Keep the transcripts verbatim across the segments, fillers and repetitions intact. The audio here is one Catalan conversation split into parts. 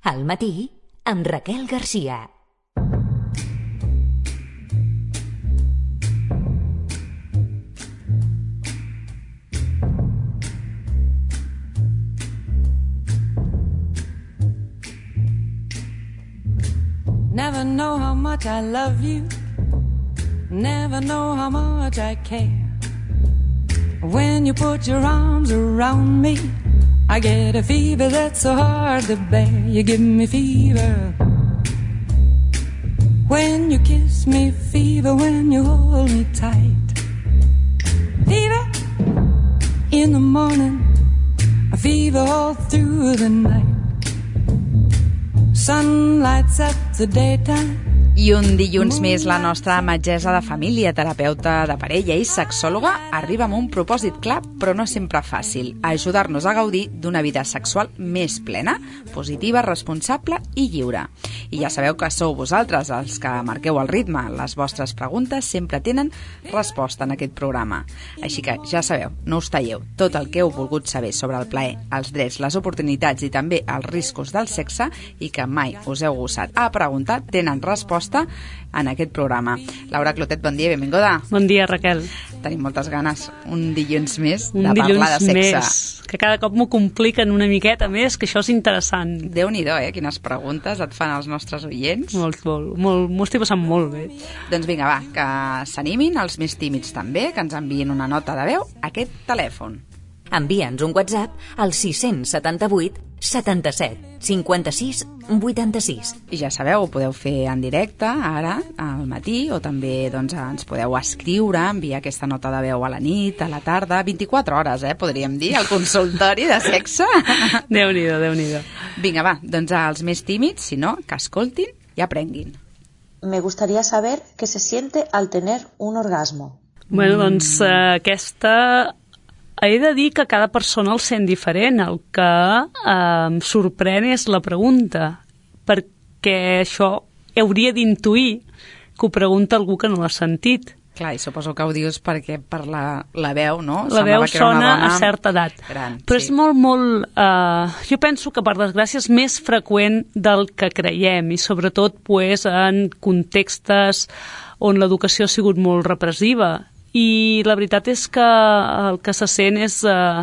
Al matí, amb Raquel Garcia. Never know how much I love you. Never know how much I care. When you put your arms around me, I get a fever that's so hard to bear. You give me fever when you kiss me, fever when you hold me tight. Fever in the morning, a fever all through the night. Sun lights up the daytime. I un dilluns més la nostra metgessa de família, terapeuta de parella i sexòloga arriba amb un propòsit clar, però no sempre fàcil: ajudar-nos a gaudir d'una vida sexual més plena, positiva, responsable i lliure. I ja sabeu que sou vosaltres els que marqueu el ritme. Les vostres preguntes sempre tenen resposta en aquest programa. Així que ja sabeu, no us talleu. Tot el que heu volgut saber sobre el plaer, els drets, les oportunitats i també els riscos del sexe i que mai us heu gossat a preguntar, tenen resposta en aquest programa. Laura Clotet, bon dia, benvinguda. Bon dia, Raquel. Tenim moltes ganes, un dilluns més, un de parlar de sexe. Més, que cada cop m'ho compliquen una miqueta més, que això és interessant. Déu-n'hi-do, eh? Quines preguntes et fan els nostres oients. Molt, molt, molt, m'ho estic passant molt bé. Doncs vinga, va, que s'animin, els més tímids també, que ens enviïn una nota de veu a aquest telèfon. Envia'ns un WhatsApp al sis set vuit setanta-set cinquanta-sis vuitanta-sis. I ja sabeu, ho podeu fer en directe ara, al matí, o també doncs, ens podeu escriure, enviar aquesta nota de veu a la nit, a la tarda, vint-i-quatre hores, eh, podríem dir, al consultori de sexe. Déu-n'hi-do, Déu-n'hi-do. Vinga, va, doncs als més tímids, si no, que escoltin i aprenguin. Me gustaría saber qué se siente al tener un orgasmo. Bueno, doncs eh, aquesta... He de dir que cada persona el sent diferent. El que eh, em sorprèn és la pregunta, perquè això hauria d'intuir que ho pregunta algú que no l'ha sentit. Clar, i suposo que ho dius perquè per la, la veu, no? La veu sona a certa edat. Gran, però sí. És molt, molt... Eh, jo penso que, per desgràcia, és més freqüent del que creiem, i sobretot pues, en contextes on l'educació ha sigut molt repressiva. I la veritat és que el que se sent és, uh,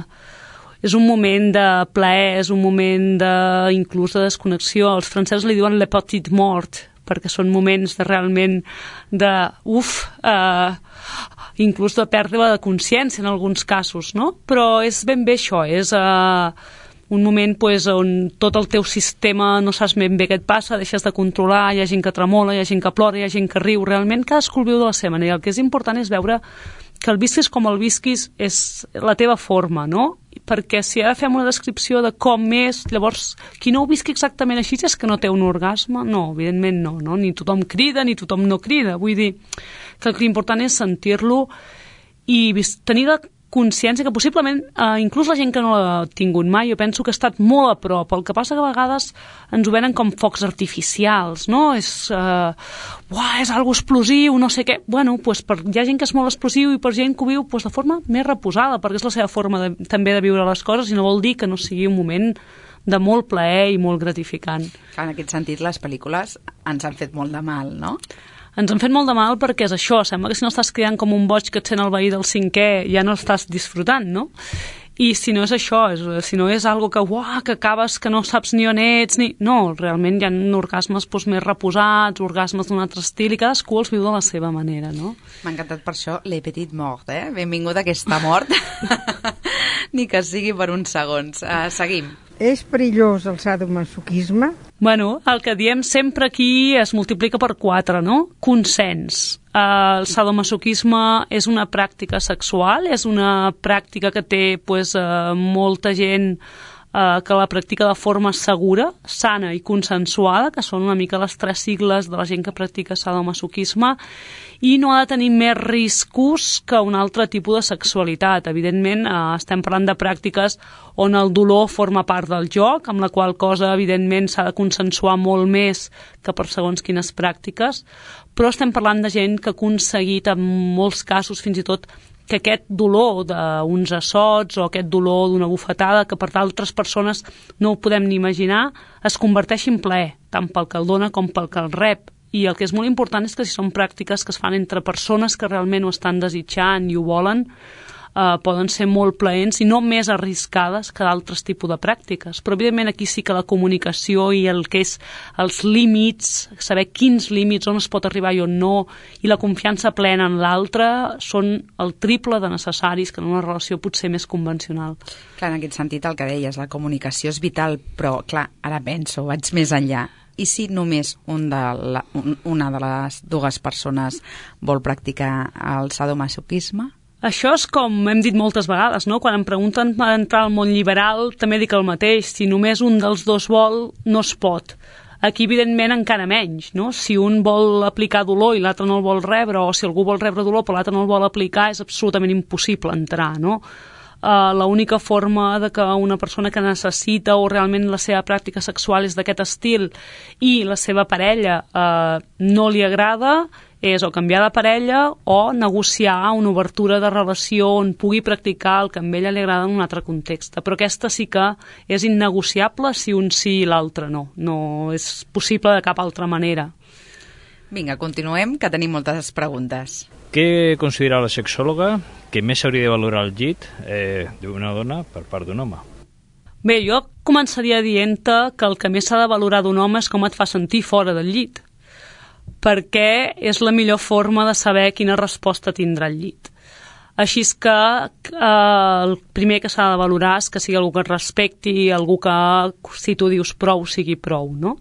és un moment de plaer, és un moment de, inclús de desconnexió. Els francesos li diuen le petit mort, perquè són moments de realment de, uf, uh, inclús de pèrdua de consciència en alguns casos, no? Però és ben bé això, és... Uh, un moment pues, on tot el teu sistema no saps ben bé què et passa, deixes de controlar, hi ha gent que tremola, hi ha gent que plora, hi ha gent que riu, realment cadascú el viu de la seva manera. El que és important és veure que el visquis com el visquis és la teva forma, no? Perquè si ara fem una descripció de com és, llavors, qui no ho visqui exactament així és que no té un orgasme? No, evidentment no, no? Ni tothom crida, ni tothom no crida. Vull dir que l'important és sentir-lo i tenir la consciència que possiblement, eh, inclús la gent que no l'ha tingut mai, jo penso que ha estat molt a prop. El que passa que a vegades ens ho venen com focs artificials, no? És, eh, uah, és algo explosiu, no sé què. Bueno, pues per, hi ha gent que és molt explosiu i per gent que ho viu pues, de forma més reposada, perquè és la seva forma de, també de viure les coses i no vol dir que no sigui un moment de molt plaer i molt gratificant. En aquest sentit, les pel·lícules ens han fet molt de mal, no? Ens han fet molt de mal perquè és això, sembla que si no estàs cridant com un boig que et sent el veí del cinquè ja no estàs disfrutant, no? I si no és això, és, si no és algo que, uah, que acabes que no saps ni on ets, ni... No, realment hi ha orgasmes doncs, més reposats, orgasmes d'un altre estil, i cadascú els viu de la seva manera, no? M'ha encantat per això Le Petit Mort, eh? Benvinguda aquesta mort, ni que sigui per uns segons. Uh, seguim. És perillós el sadomasoquisme? Bueno, el que diem sempre aquí es multiplica per quatre, no? Consens. El sadomasoquisme és una pràctica sexual, és una pràctica que té pues, eh, molta gent eh, que la practica de forma segura, sana i consensuada, que són una mica les tres sigles de la gent que practica sadomasoquisme, i no ha de tenir més riscos que un altre tipus de sexualitat. Evidentment, eh, estem parlant de pràctiques on el dolor forma part del joc, amb la qual cosa, evidentment, s'ha de consensuar molt més que per segons quines pràctiques, però estem parlant de gent que ha aconseguit, en molts casos, fins i tot que aquest dolor d'uns assots o aquest dolor d'una bufetada, que per d'altres persones no ho podem ni imaginar, es converteix en plaer, tant pel que el dona com pel que el rep. I el que és molt important és que si són pràctiques que es fan entre persones que realment ho estan desitjant i ho volen, Uh, poden ser molt plaents i no més arriscades que d'altres tipus de pràctiques. Però evidentment aquí sí que la comunicació i el que és els límits, saber quins límits, on es pot arribar i on no, i la confiança plena en l'altre són el triple de necessaris que en una relació potser més convencional. Clar, en aquest sentit el que deies, la comunicació és vital, però clar, ara penso, vaig més enllà. I si només un de la, un, una de les dues persones vol practicar el sadomasoquisme? Això és com hem dit moltes vegades, no? Quan em pregunten per entrar al món liberal, també dic el mateix. Si només un dels dos vol, no es pot. Aquí, evidentment, encara menys, no? Si un vol aplicar dolor i l'altre no el vol rebre, o si algú vol rebre dolor però l'altre no el vol aplicar, és absolutament impossible entrar, no? Uh, l'única forma de que una persona que necessita o realment la seva pràctica sexual és d'aquest estil i la seva parella uh, no li agrada és o canviar de parella o negociar una obertura de relació on pugui practicar el que a ella li agrada en un altre context. Però aquesta sí que és innegociable si un sí i l'altre no. No és possible de cap altra manera. Vinga, continuem, que tenim moltes preguntes. Què considera la sexòloga que més s'hauria de valorar el llit eh, d'una dona per part d'un home? Bé, jo començaria dient-te que el que més s'ha de valorar d'un home és com et fa sentir fora del llit, perquè és la millor forma de saber quina resposta tindrà el llit. Així és que eh, el primer que s'ha de valorar és que sigui algú que et respecti, algú que, si tu dius prou, sigui prou, no?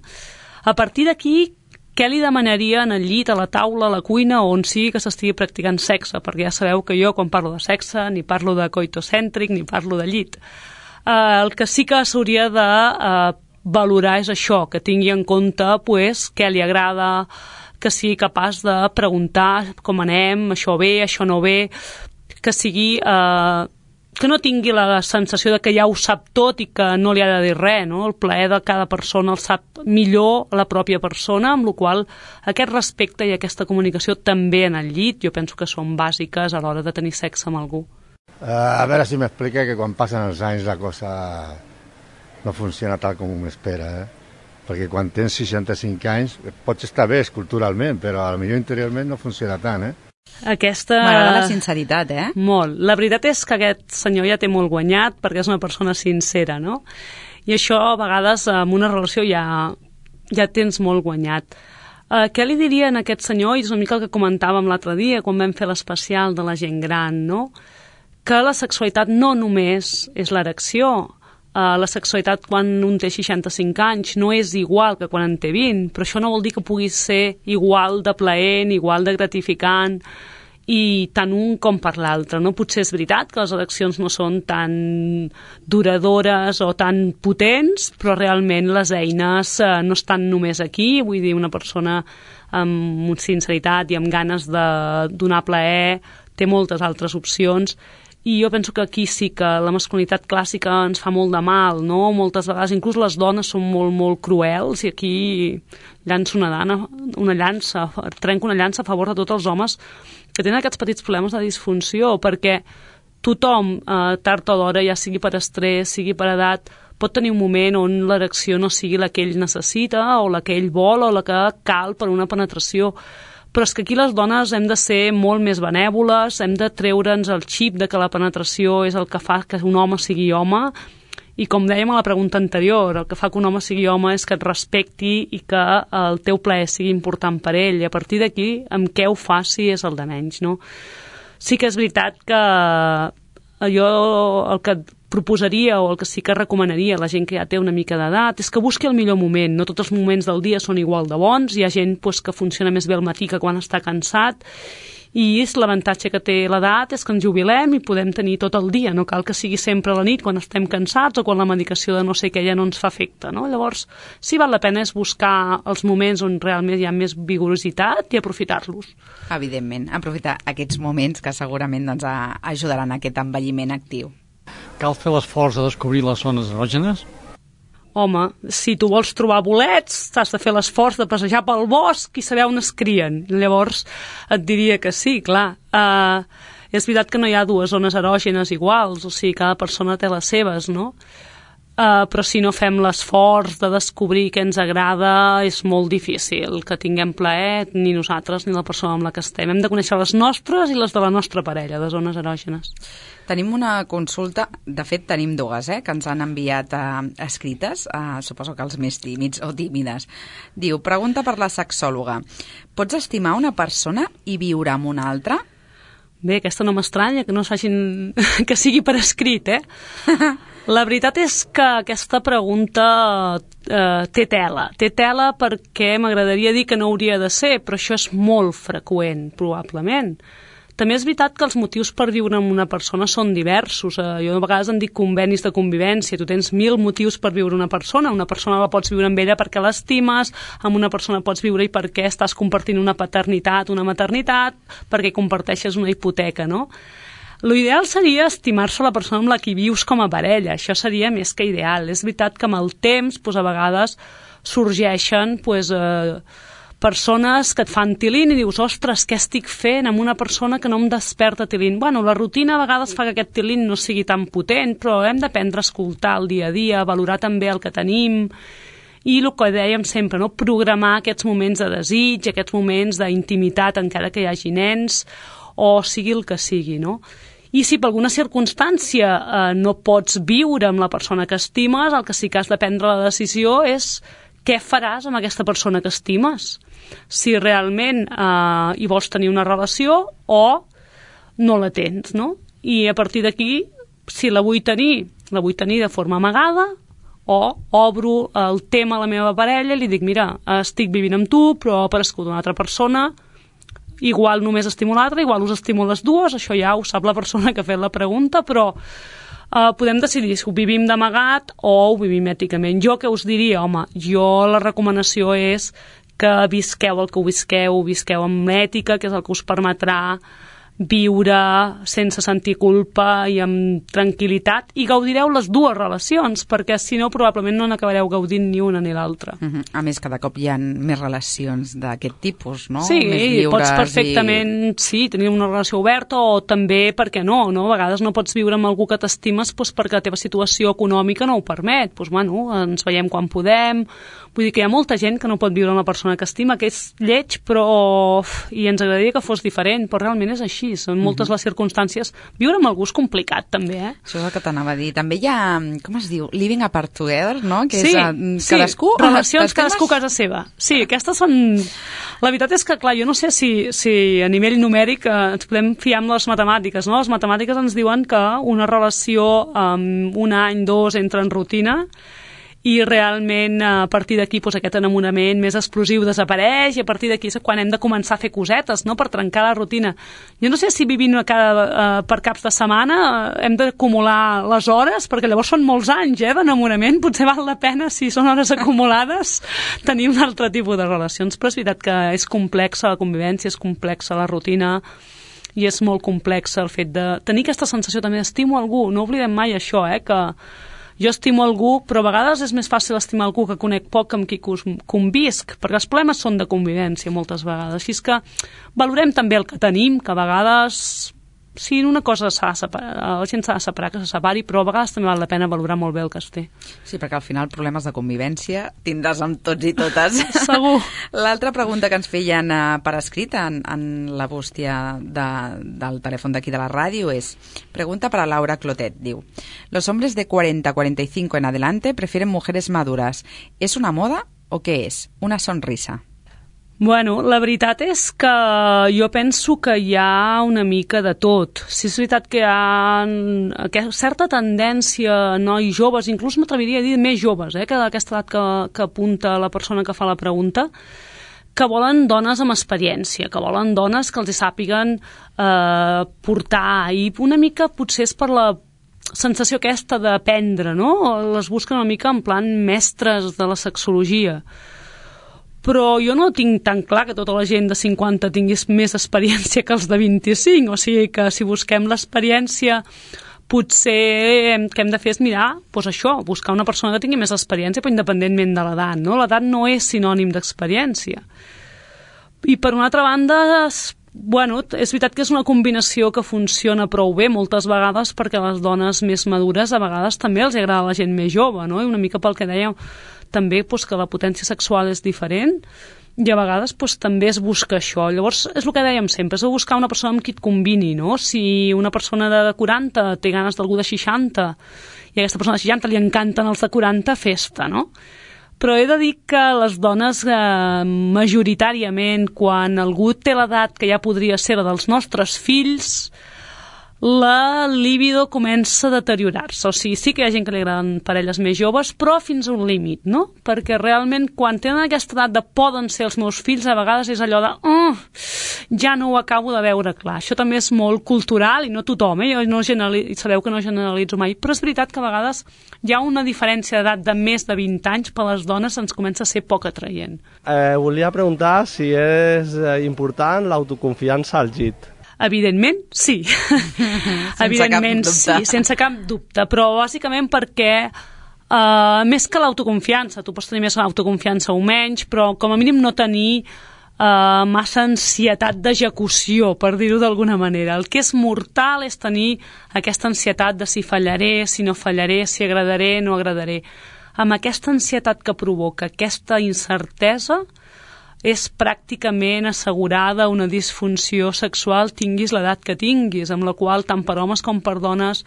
A partir d'aquí, què li demanaria en el llit, a la taula, a la cuina, on sigui que s'estigui practicant sexe? Perquè ja sabeu que jo, quan parlo de sexe, ni parlo de coitocèntric, ni parlo de llit. Eh, el que sí que s'hauria de eh, valorar és això, que tingui en compte pues, què li agrada, que sigui capaç de preguntar com anem, això bé, això no bé, que sigui... Eh, que no tingui la sensació de que ja ho sap tot i que no li ha de dir res, no? El plaer de cada persona el sap millor la pròpia persona, amb la qual aquest respecte i aquesta comunicació també en el llit, jo penso que són bàsiques a l'hora de tenir sexe amb algú. Uh, a veure si m'explica que quan passen els anys la cosa no funciona tal com m'espera, eh? Perquè quan tens seixanta-cinc anys pots estar bé culturalment, però potser interiorment no funciona tant, eh? Aquesta... M'agrada la sinceritat, eh? Molt. La veritat és que aquest senyor ja té molt guanyat perquè és una persona sincera, no? I això a vegades en una relació ja, ja tens molt guanyat. Uh, què li diria a aquest senyor? I és una mica el que comentàvem l'altre dia quan vam fer l'especial de la gent gran, no? Que la sexualitat no només és l'erecció. Uh, la sexualitat quan un té seixanta-cinc anys no és igual que quan en té vint, però això no vol dir que pugui ser igual de plaent, igual de gratificant i tant un com per l'altre, no? Potser és veritat que les ereccions no són tan duradores o tan potents, però realment les eines uh, no estan només aquí, vull dir, una persona amb sinceritat i amb ganes de donar plaer té moltes altres opcions. I jo penso que aquí sí que la masculinitat clàssica ens fa molt de mal, no? Moltes vegades, inclús les dones són molt, molt cruels i aquí llanço una, dana, una llança, trenco una llança a favor de tots els homes que tenen aquests petits problemes de disfunció, perquè tothom, eh, tard o d'hora, ja sigui per estrès, sigui per edat, pot tenir un moment on l'erecció no sigui la que ell necessita o la que ell vol o la que cal per una penetració. Però és que aquí les dones hem de ser molt més benèvoles, hem de treure'ns el xip de que la penetració és el que fa que un home sigui home, i com dèiem a la pregunta anterior, el que fa que un home sigui home és que et respecti i que el teu plaer sigui important per ell, i a partir d'aquí, amb què ho faci és el de menys, no? Sí que és veritat que jo el que proposaria o el que sí que recomanaria a la gent que ja té una mica d'edat és que busqui el millor moment. No tots els moments del dia són igual de bons, hi ha gent pues, que funciona més bé al matí que quan està cansat, i l'avantatge que té l'edat és que ens jubilem i podem tenir tot el dia, no cal que sigui sempre a la nit quan estem cansats o quan la medicació de no sé què ja no ens fa efecte, no? Llavors, sí val la pena és buscar els moments on realment hi ha més vigorositat i aprofitar-los. Evidentment, aprofitar aquests moments que segurament doncs, ajudaran a aquest envelliment actiu. Cal fer l'esforç de descobrir les zones erògenes? Home, si tu vols trobar bolets, t'has de fer l'esforç de passejar pel bosc i saber on es crien. Llavors et diria que sí, clar. Uh, És veritat que no hi ha dues zones erògenes iguals, o sigui, cada persona té les seves, no? Uh, però si no fem l'esforç de descobrir què ens agrada, és molt difícil que tinguem plaer, ni nosaltres ni la persona amb la que estem. Hem de conèixer les nostres i les de la nostra parella, de zones erògenes. Tenim una consulta, de fet tenim dues, eh, que ens han enviat uh, escrites, uh, suposo que els més tímids o tímides. Diu, pregunta per la sexòloga. Pots estimar una persona i viure amb una altra? Bé, aquesta no m'estranya, que no s'hagin... que sigui per escrit, eh? La veritat és que aquesta pregunta eh, té tela. Té tela perquè m'agradaria dir que no hauria de ser, però això és molt freqüent, probablement. També és veritat que els motius per viure amb una persona són diversos. Eh, jo a vegades en dic convenis de convivència. Tu tens mil motius per viure una persona. Una persona la pots viure amb ella perquè l'estimes, amb una persona pots viure i perquè estàs compartint una paternitat, una maternitat, perquè comparteixes una hipoteca, no? L'ideal seria estimar-se la persona amb la que vius com a parella. Això seria més que ideal. És veritat que amb el temps, doncs, a vegades sorgeixen doncs, eh, persones que et fan tilín i dius, ostres, què estic fent amb una persona que no em desperta tilín? Bueno, la rutina a vegades fa que aquest tilín no sigui tan potent, però hem d'aprendre a escoltar el dia a dia, valorar també el que tenim i el que dèiem sempre, no? Programar aquests moments de desig, aquests moments d'intimitat encara que hi hagi nens, o sigui el que sigui, no? I si per alguna circumstància eh, no pots viure amb la persona que estimes, el que sí que has de prendre la decisió és què faràs amb aquesta persona que estimes. Si realment eh, hi vols tenir una relació o no la tens, no? I a partir d'aquí, si la vull tenir, la vull tenir de forma amagada o obro el tema a la meva parella i li dic, mira, estic vivint amb tu, però ha aparegut una altra persona, igual només estimo l'altra, igual us estimo les dues, això ja ho sap la persona que ha fet la pregunta, però eh, podem decidir si ho vivim d'amagat o ho vivim èticament. Jo què us diria? Home, jo la recomanació és que visqueu el que ho visqueu, visqueu amb ètica, que és el que us permetrà viure sense sentir culpa i amb tranquil·litat, i gaudireu les dues relacions, perquè si no probablement no n'acabareu gaudint ni una ni l'altra. Uh-huh. A més, cada cop hi ha més relacions d'aquest tipus, no? Sí, més lliures, pots perfectament i... sí, tenir una relació oberta, o també, per què no, no? A vegades no pots viure amb algú que t'estimes doncs, perquè la teva situació econòmica no ho permet. Doncs, bueno, ens veiem quan podem. Vull dir que hi ha molta gent que no pot viure amb una persona que estima, que és lleig, però... i ens agradaria que fos diferent, però realment és així. Són moltes uh-huh. les circumstàncies. Viure amb algú és complicat, també, eh? Això és el que t'anava a dir. També hi ha, com es diu, living apart together, no? Que sí, és, uh, sí, cadascú... relacions cadascú a casa seva. Sí, aquestes són... La veritat és que, clar, jo no sé si, si a nivell numèric eh, ens podem fiar amb les matemàtiques, no? Les matemàtiques ens diuen que una relació amb un any, dos, entra en rutina, i realment a partir d'aquí doncs, aquest enamorament més explosiu desapareix, i a partir d'aquí és quan hem de començar a fer cosetes, no?, per trencar la rutina. Jo no sé si vivint cada, uh, per caps de setmana uh, hem d'acumular les hores, perquè llavors són molts anys eh, d'enamorament, potser val la pena, si són hores acumulades, tenir un altre tipus de relacions. Però és veritat que és complexa la convivència, és complexa la rutina, i és molt complex el fet de tenir aquesta sensació també d'estimo algú. No oblidem mai això, eh, que jo estimo algú, però a vegades és més fàcil estimar algú que conec poc, amb qui convisc, perquè els problemes són de convivència moltes vegades. Així és que valorem també el que tenim, que a vegades, sí, una cosa s'ha de separar, la gent s'ha de separar, que se separi, però a vegades també val la pena valorar molt bé el que es té. Sí, perquè al final problemes de convivència tindràs amb tots i totes. Segur. L'altra pregunta que ens feien uh, per escrit en, en la bústia de, del telèfon d'aquí de la ràdio és, pregunta para Laura Clotet, diu, los hombres de cuarenta a cuarenta y cinco en adelante prefieren mujeres maduras. ¿Es una moda o qué es? Una sonrisa. Bueno, la veritat és que jo penso que hi ha una mica de tot. Si és veritat que hi ha certa tendència a nois joves, inclús m'atreviria a dir més joves, eh, que d'aquesta edat que, que apunta la persona que fa la pregunta, que volen dones amb experiència, que volen dones que els sàpiguen eh, portar, i una mica potser és per la sensació aquesta d'aprendre, no? Les busquen una mica en plan mestres de la sexologia. Però jo no tinc tan clar que tota la gent de cinquanta tingués més experiència que els de vint-i-cinc, o sigui que si busquem l'experiència, potser el que hem de fer és mirar, doncs això, buscar una persona que tingui més experiència, però independentment de l'edat, no? L'edat no és sinònim d'experiència. I per una altra banda, bueno, és veritat que és una combinació que funciona prou bé moltes vegades, perquè a les dones més madures a vegades també els agrada la gent més jove, no? I una mica pel que dèiem també doncs, que la potència sexual és diferent, i a vegades doncs, també es busca això. Llavors, és el que dèiem sempre, és buscar una persona amb qui et combini, no? Si una persona de quaranta té ganes d'algú de seixanta i a aquesta persona de seixanta li encanten els de quaranta, festa, no? Però he de dir que les dones, eh, majoritàriament, quan algú té l'edat que ja podria ser la dels nostres fills, la libido comença a deteriorar-se. O sigui, sí que hi ha gent que li agraden parelles més joves, però fins a un límit, no? Perquè realment, quan tenen aquesta edat de poden ser els meus fills, a vegades és allò de oh, ja no ho acabo de veure clar. Això també és molt cultural i no tothom, eh? Jo no generalitzo, sabeu que no generalitzo mai, però és veritat que a vegades hi ha una diferència d'edat de més de vint anys, per les dones ens comença a ser poc atraient. Eh, volia preguntar si és important l'autoconfiança al llit. Evidentment, sí. Sense Evidentment, cap dubte. sí, sense cap dubte, però bàsicament perquè uh, més que l'autoconfiança, tu pots tenir més autoconfiança o menys, però com a mínim no tenir uh, massa ansietat d'execució, per dir-ho d'alguna manera. El que és mortal és tenir aquesta ansietat de si fallaré, si no fallaré, si agradaré, no agradaré. Amb aquesta ansietat que provoca aquesta incertesa, és pràcticament assegurada una disfunció sexual tinguis l'edat que tinguis, amb la qual tant per homes com per dones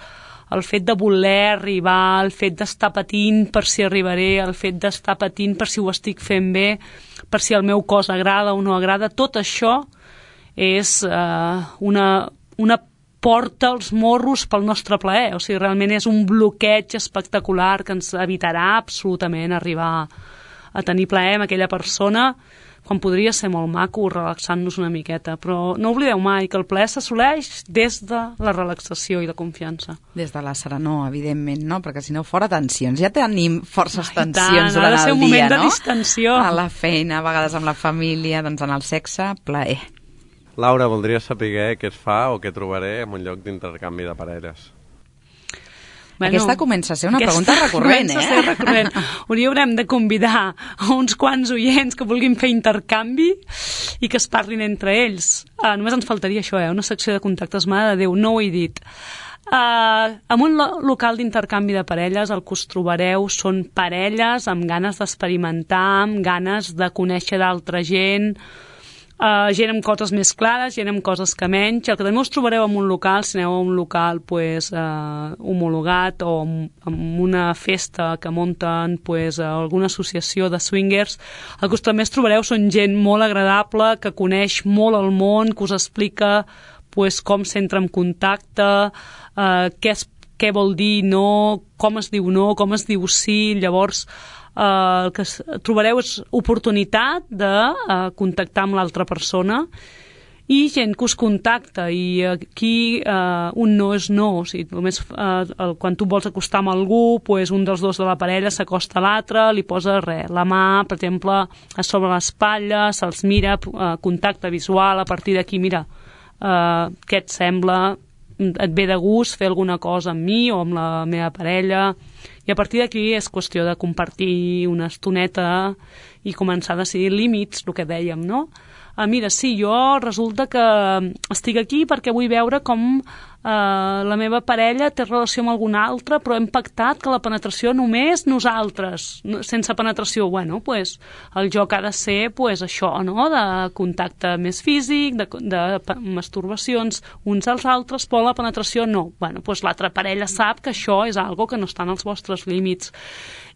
el fet de voler arribar, el fet d'estar patint per si arribaré, el fet d'estar patint per si ho estic fent bé, per si el meu cos agrada o no agrada, tot això és eh, una, una porta als morros pel nostre plaer. O sigui, realment és un bloqueig espectacular que ens evitarà absolutament arribar a tenir plaer amb aquella persona, quan podria ser molt maco relaxant-nos una miqueta, però no oblideu mai que el plaer s'assoleix des de la relaxació i la confiança. Des de la serenor, evidentment, no? Perquè si no, fora tensions. Ja tenim forces Ai, tensions tant, durant el dia, no? Ha de ser un moment de distensió. A la feina, a vegades amb la família, doncs en el sexe, plaer. Laura, voldria saber què es fa o què trobaré en un lloc d'intercanvi de parelles. Bueno, aquesta comença a ser una pregunta recurrent, eh? Comença a ser recurrent. Hauríem de convidar a uns quants oients que vulguin fer intercanvi i que es parlin entre ells. Uh, només ens faltaria això, eh? Una secció de contactes, mare de Déu, no ho he dit. Uh, en un lo local d'intercanvi de parelles el que us trobareu són parelles amb ganes d'experimentar, amb ganes de conèixer d'altra gent, Uh, gent amb coses més clares, gent amb coses que menys. El que també us trobareu en un local, si aneu a un local pues, uh, homologat o en una festa que munten pues, alguna associació de swingers, el que us també us trobareu són gent molt agradable, que coneix molt el món, que us explica pues, com s'entra en contacte, uh, què, es, què vol dir no, com es diu no, com es diu sí. Llavors Uh, el que trobareu és oportunitat de uh, contactar amb l'altra persona i gent que us contacta, i aquí uh, un no és no. O sigui, només, uh, el, quan tu vols acostar amb algú, pues, un dels dos de la parella s'acosta a l'altre, li posa res, la mà, per exemple, a sobre l'espatlla, se'ls mira, uh, contacte visual, a partir d'aquí, mira, uh, què et sembla, et ve de gust fer alguna cosa amb mi o amb la meva parella, i a partir d'aquí és qüestió de compartir una estoneta i començar a decidir límits, el que dèiem, no? Ah, mira, sí, jo resulta que estic aquí perquè vull veure com eh, la meva parella té relació amb algun altre, però hem pactat que la penetració només nosaltres, sense penetració. Bueno, pues, el joc ha de ser pues, això, no? De contacte més físic, de, de masturbacions uns als altres, però la penetració no. Bueno, pues, l'altra parella sap que això és algo que no està en els vostres límits.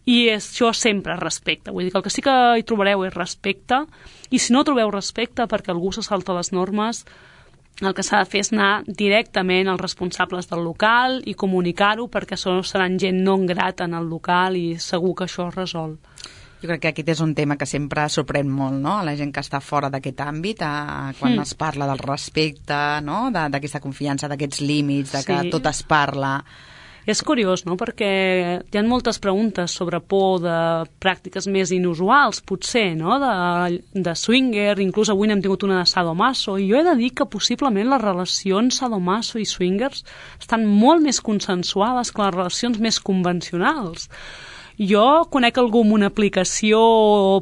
I és, això sempre és respecte. Vull dir que el que sí que hi trobareu és respecte, i si no trobeu respecte perquè algú se salta les normes, el que s'ha de fer és anar directament als responsables del local i comunicar-ho, perquè seran gent no grata en el local i segur que això es resol. Jo crec que aquest és un tema que sempre sorprèn molt, no?, a la gent que està fora d'aquest àmbit, a, quan mm. es parla del respecte, no?, d'aquesta confiança, d'aquests límits, de que sí. tot es parla. És curiós, no?, perquè hi ha moltes preguntes sobre por de pràctiques més inusuals, potser, no?, de, de swinger, inclús avui n'hem tingut una de sadomaso, i jo he de dir que possiblement les relacions sadomaso i swingers estan molt més consensuades que les relacions més convencionals. Jo conec algú amb una aplicació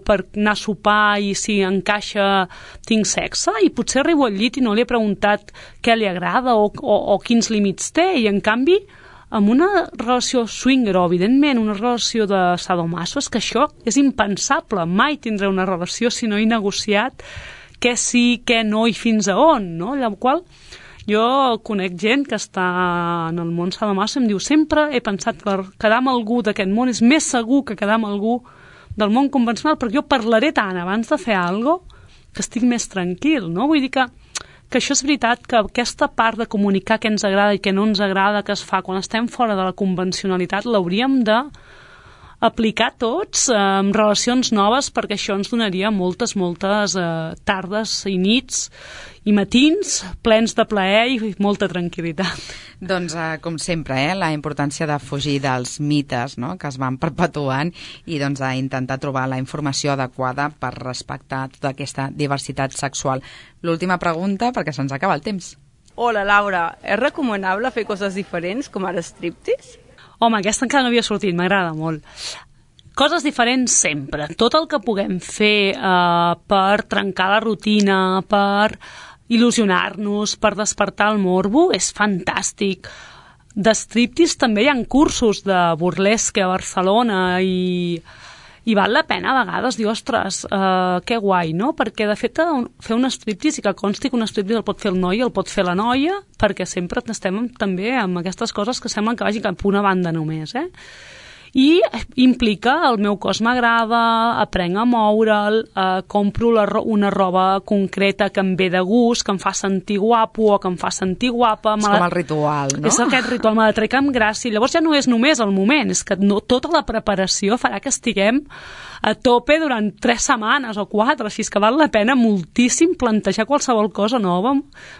per anar a sopar i si encaixa tinc sexe, i potser arribo al llit i no li he preguntat què li agrada o, o, o quins límits té, i en canvi amb una relació swinger o evidentment una relació de sadomaso és que això és impensable, mai tindré una relació si no he negociat què sí, què no i fins a on, no? Llavors, qual jo conec gent que està en el món sadomaso i em diu sempre he pensat que quedar amb algú d'aquest món és més segur que quedar amb algú del món convencional, perquè jo parlaré tant abans de fer alguna cosa que estic més tranquil, no? Vull dir que que això és veritat, que aquesta part de comunicar què ens agrada i què no ens agrada que es fa quan estem fora de la convencionalitat l'hauríem de aplicar tots eh, en relacions noves, perquè això ens donaria moltes, moltes eh, tardes i nits i matins plens de plaer i molta tranquil·litat. Doncs, eh, com sempre, eh, la importància de fugir dels mites, no?, que es van perpetuant i doncs, d'intentar trobar la informació adequada per respectar tota aquesta diversitat sexual. L'última pregunta, perquè se'ns acaba el temps. Hola, Laura. És recomanable fer coses diferents, com ara striptease? Home, aquesta encara no havia sortit, m'agrada molt. Coses diferents sempre. Tot el que puguem fer eh, per trencar la rutina, per il·lusionar-nos, per despertar el morbo, és fantàstic. De striptease també hi ha cursos de burlesque a Barcelona i, i val la pena a vegades dir, ostres, eh, que guai, no? Perquè de fet fer un striptease, i que consti que un striptease el pot fer el noi i el pot fer la noia, perquè sempre estem també amb aquestes coses que semblen que vagin cap a una banda només, eh? I implica el meu cos m'agrada, aprenc a moure'l, eh, compro la, una roba concreta que em ve de gust, que em fa sentir guapo o que em fa sentir guapa. És com el ritual, no? És aquest ritual, me la trec amb gràcia. Llavors ja no és només el moment, és que no, tota la preparació farà que estiguem a tope durant tres setmanes o quatre, així que val la pena moltíssim plantejar qualsevol cosa nova,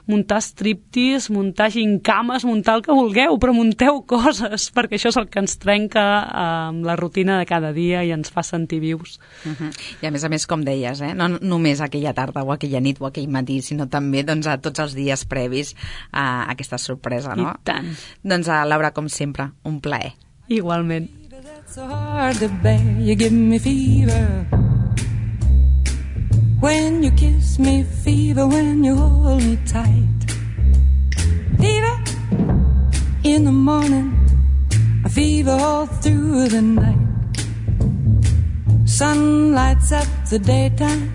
muntar striptease, muntar gincames, muntar el que vulgueu, però munteu coses, perquè això és el que ens trenca amb la rutina de cada dia i ens fa sentir vius. Uh-huh. I a més a més, com deies, eh? No només aquella tarda o aquella nit o aquell matí, sinó també doncs, a tots els dies previs a aquesta sorpresa, no? I tant. Doncs, a Laura, com sempre, un plaer. Igualment. So hard to bear, you give me fever when you kiss me, fever when you hold me tight, fever in the morning, a fever all through the night. Sun lights up the daytime,